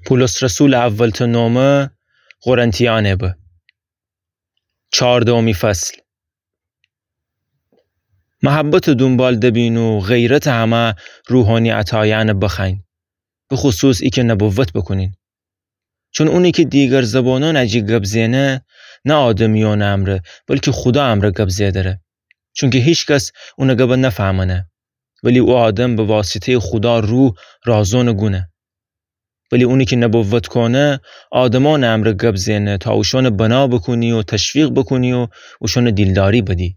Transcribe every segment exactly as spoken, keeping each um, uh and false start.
پولس رسولٚ اولٚ نومه قرنتیأنٚ به. چاردهمی فصل. محبتٚ دونبال دبین و غیرتٚ همه روحانی عطایأنه بخوأیین، بخصوص ایکه نبوت بوکونین. چون اونی کی دیگر زبانأنٚ جی گب زئنه، نه آدمیأنٚ امرأ، بلکی خودا امرأ گب زئدره. چونکی هیکس اونٚ گبه نفهمأنه، ولی او آدم به واسطه‌یٚ خودا روح رازونٚ گونه. ولی اونی کی نبوت کونه، آدمأنٚ امرأ گب زئنه، تا اوشأنه بنا بوکونی و تشویق بوکونی و اوشأنه دیلداری بدی.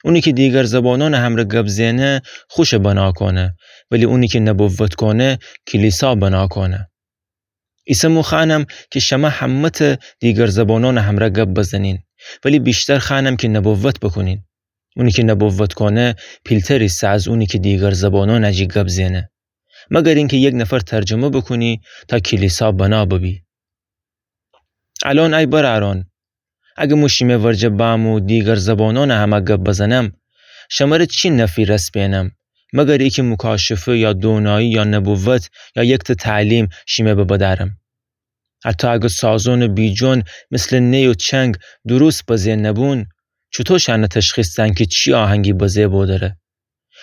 اونی کی دیگر زبانأنٚ امرأ گب زئنه، خوشه بنا کونه، ولی اونی کی نبوت کونه، کلیسا بنا کونه. ایسه مو خوأنم کی شمه همه‌تأ دیگر زبانأنٚ امرأ گب بزنین، ولی ویشتر خوأنم کی نبوت بوکونین. اونی کی نبوت کونه، پیلتر ایسه از اونی کی دیگر زبانأنٚ جی گب زئنه، مگر اینکی یک نفر ترجمه بوکونی تا کلیسا بنا ببی. الأن ای برأرأن، اگه مو شیمه ورجه بم و دیگر زبانأنٚ همه گب بزنم، شمره چی نفعی رسپینم، مگر ایکه مکاشفه یا دونایی یا نبوت یا یکتأ تعلیم شیمه به بدأرم؟ حتی اگه سازونٚ بیجون مثلٚ نی و چنگ درست بزه نبون، چوطو شأنه تشخیص دن کی چی آهنگی بزه بودره؟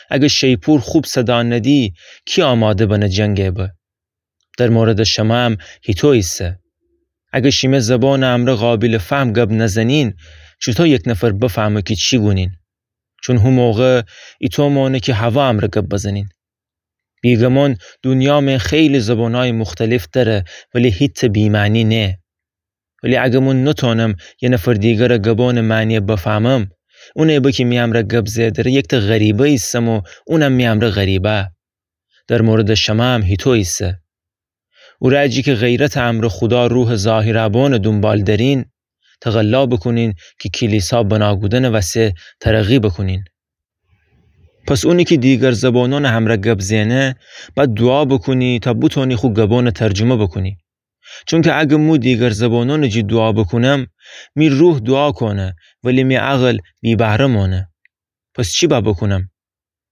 اگه شیپور خوب صدا ندی، کی آماده بنه جنگه به؟ در موردٚ شمه هم هیطو ایسه. اگه شیمه زبانٚ امرأ قابلٚ فهم گب نزنین، چوطو یک نفر بفهمه کی چی گونین؟ چون هو موقع ایطو مانه کی هوا امرأ گب بزنین. بیگمان دونیا مئن خیلی زبانأیٚ مختلف دأره، ولی هیتأ بی‌معنی نه. ولی اگه مو نتأنم یه نفر دیگرٚ گبأنٚ معنیه بفهمم، اونی به کی می امرأ گب زئدره یکتأ غریبه ایسم و اونم می امرأ غریبه. در موردٚ شمه هم هیطو ایسه. او رأ جی کی غیرتٚ امرأ خودا روحٚ ظاهرٚ بانٚ دونبال درین، تقلا بوکونین کی کلیسا بنا کودنٚ وسه ترقی بوکونین. پس اونی کی دیگر زبانأنٚ امرأ گب زئنه، بأید دوعا بوکونی تا بوتونی خو گبأنٚ ترجمه بوکونی. چونکی اگه مو دیگر زبانأنٚ جی دوعا بوکونم، می روح دوعا کونه، ولی می عقل بی‌بهره مانه. پس چی بأ بوکونم؟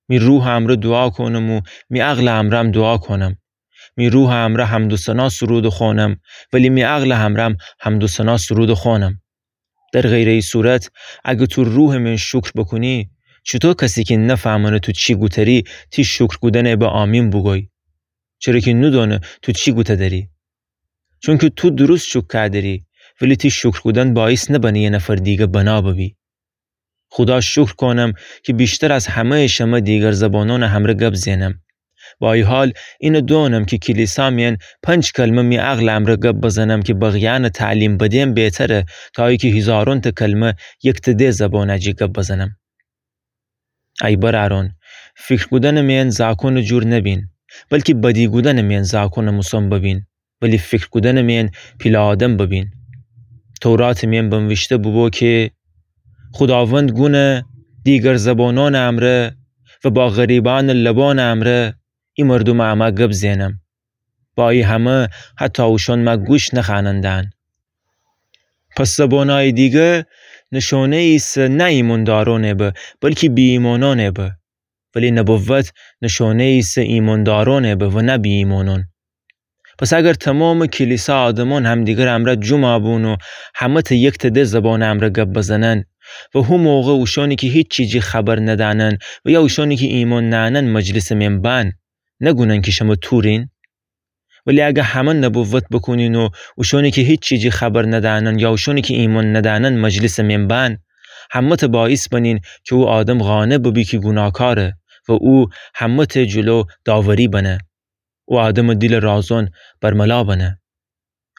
می روحٚ امرأ دوعا کونم و می عقلٚ امرأم دوعا کونم. می روحٚ امرأ حمد و ثنا سرود خوأنم، ولی می عقلٚ امرأم حمد و ثنا سرود خوأنم. در غیرٚ ای صورت، اگه تو روحٚ مئن شکر بوکونی، چوطو کسی کی نفهمأنه تو چی گوتری، تی شکر کودنه به آمین بوگوی؟ چره کی نودأنه تو چی گوته دری. چونکی تو درست شکر کودری، ولی تی شکر کودن باعث نبنه یه نفر دیگه بنا ببی. خودا شکر کونم کی ویشتر از همه‌یٚ شمه دیگر زبانأنٚ امرأ گب زئنم. با ای حال، اینه دونم کی کلیسا مئن پنج کلمه می عقلٚ امرأ گب بزنم کی بقیه‌یأنٚ تعلیم بدم بهتره تا ایکی هیزارونتأ کلمه یکتأ ده زبانٚ جی گب بزنم. ای برأرأن، فیکر کودنٚ مئن زاکونٚ جور نبین، بلکی بدی کودنٚ مئن زاکونٚ موسأن ببین، ولی فیکر کودنٚ مئن پیله آدم ببین. توراتٚ مئن بنویشته بوبو کی خوداوند گونه، دیگر زبانأنٚ امرأ و با غریبأنٚ لبأنٚ امرأ ای مردومٚ امه گب زئنم. با ای همه حتی اوشأن مه گوش نخوأنن دهن. پس زبانأیٚ دیگه نشونه‌یی ایسه نه ایماندارأنٚ به، بلکی بی‌ایمانأنٚ به. ولی نبوت نشونه‌یی ایسه ایماندارأنٚ به و نه بی‌ایمانأن. پس اگر تومامٚ کلیسا آدمأن همدیگرٚ امرأ جمع بون و همه‌تأ یکتأ ده زبانٚ امرأ گب بزنن و هو موقع اوشأنی کی هیچی جی خبر ندأنن و یا اوشأنی کی ایمأن نأنن مجلسٚ مئن بأن، نگونن کی شمه تورین؟ ولی اگه همه نبوت بوکونین و اوشأنی کی هیچی جی خبر ندأنن یا اوشأنی کی ایمأن ندأنن مجلسٚ مئن بأن، همه‌تأ باعث بنین کی او آدم قانع ببی کی گوناهکاره و او همه‌تأ جلو داوری بنه. او آدمٚ دیلٚ رازون برملا بنه.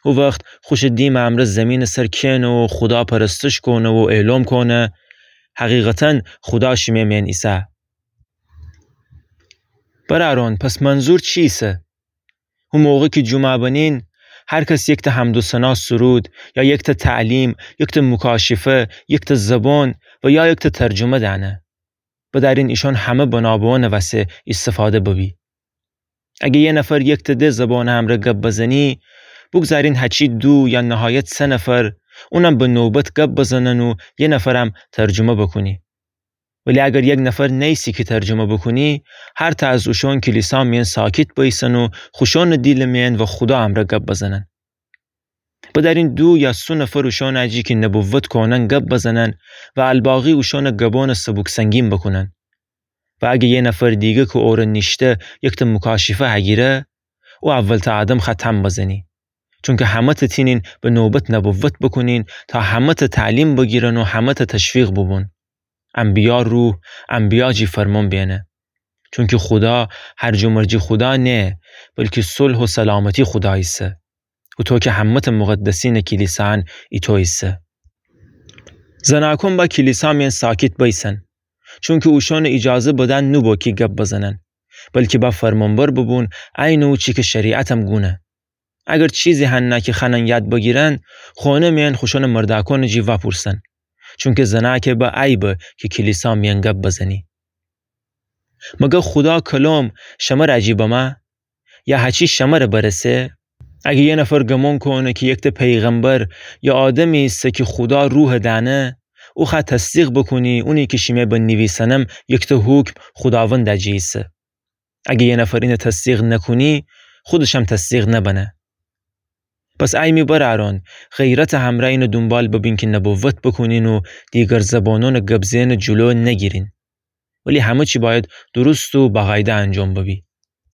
او وخت خوشٚ دیمٚ امرأ زیمینٚ سر کئنه و خودا پرستش کونه و اعلام کونه: حقیقتاً خودا شیمه مئن ایسه. برأرون، پس منظور چی ایسه؟ هو موقع کی جمعه بنین، هر کس یکتأ حمد و ثنا سرود، یا یکتأ تعلیم، یکتأ مکاشفه، یکتأ زبان و یا یکتأ ترجمه دأنه. بدأرین ایشأن همه بنا به اونٚ وسه ایستفاده ببی. اگه یه نفر یکتأ ده زبانٚ امرأ گب بزنی، بوگذارین هچی دو یا نهایت سه نفر، اونم به نوبت گب بزنن و یه نفرم ترجمه بوکونی. ولی اگر یک نفر نیسی کی ترجمه بوکونی، هر تأ از اوشون کلیسا میأن ساکت بأیسن و خوشونٚ دیلٚ میأن و خودا امرأ گب بزنن. بدأرین دو یا سه نفر اوشونٚ جی کی نبوت کونن گب بزنن و الباقی اوشونٚ گبونٚ سبوک سنگین بوکونن. و اگه یه نفر دیگه کی اورأ نیشته یکتأ مکاشفه هگیره، او اولتأ آدم خأ تأن بزنی. چونکی همه‌تأ تینین به نوبت نبوت بوکونین تا همه‌تأ تعلیم بگیرن و همه‌تأ تشویق بوبون. انبیا روح، انبیا جی فرمون بیأنه. چونکی خودا هرج‌ومرجی خودا نییه، بلکی صلح و سلامتی خودا ایسه. اوطو کی همه‌تأ مقدسینٚ کلیسان ایتو ایسه. زناکون با کلیسا میأن ساکت بأیسن، چونکی اوشونٚ ایجازه بدن نوبو کی گب بزنن، بلکی با فرمانبر بوبون، عینٚ او چی کی شریعتم گونه. اگر چیزی هنه کی خوأنن یاد بگیرن، خونه میأن خوشونٚ مردأکونٚ جی وأپورسن، چونکی زنأکه به عیبه کی کلیسا میأن گب بزنی. مگر خودا کلام شمرأ جی بمه؟ یا هچی شمرأ برسه؟ اگه یه نفر گمون کونه کی یکتأ پیغمبر یا آدمی ایسه کی خودا روحٚ دأنه، او خأ تصدیق بوکونی، اونی کی شیمه به نیویسنم یکتأ حکم خوداوندٚ جی ایسه. اگه یه نفر اینه تصدیق نکونی، خودشم تصدیق نبنه. پس ای می برأرأن، غیرتٚ همرأ اینه دونبال ببین کی نبوت بوکونین و دیگر زبانونٚ گب زئنٚ جلو نگیرین. ولی همه چی بأید درست و باقاعده انجام ببی.